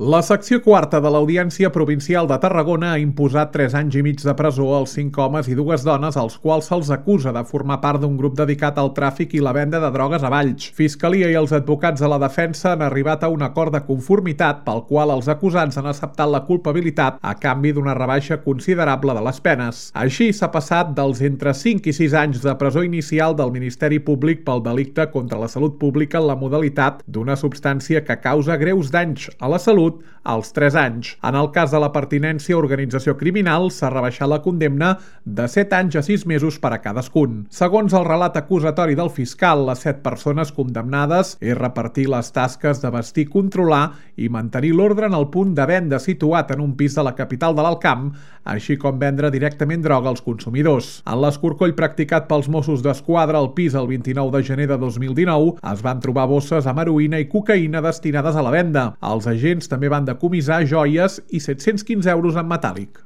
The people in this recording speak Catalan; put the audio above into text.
La secció quarta de l'Audiència Provincial de Tarragona ha imposat 3 anys i mig de presó als 5 homes i 2 dones als quals se'ls acusa de formar part d'un grup dedicat al tràfic i la venda de drogues a Valls. Fiscalia i els advocats de la defensa han arribat a un acord de conformitat pel qual els acusats han acceptat la culpabilitat a canvi d'una rebaixa considerable de les penes. Així s'ha passat dels entre 5 i 6 anys de presó inicial del Ministeri Públic pel delicte contra la salut pública en la modalitat d'una substància que causa greus danys a la salut als 3 anys. En el cas de la pertinència a organització criminal, s'ha rebaixat la condemna de 7 anys a 6 mesos per a cadascun. Segons el relat acusatori del fiscal, les 7 persones condemnades és repartir les tasques de vestir, controlar i mantenir l'ordre en el punt de venda situat en un pis de la capital de l'Alt Camp, així com vendre directament droga als consumidors. En l'escorcoll practicat pels Mossos d'Esquadra al pis el 29 de gener de 2019 es van trobar bosses amb heroïna i cocaïna destinades a la venda. Els agents també van decomissar joies i 715 euros en metàl·lic.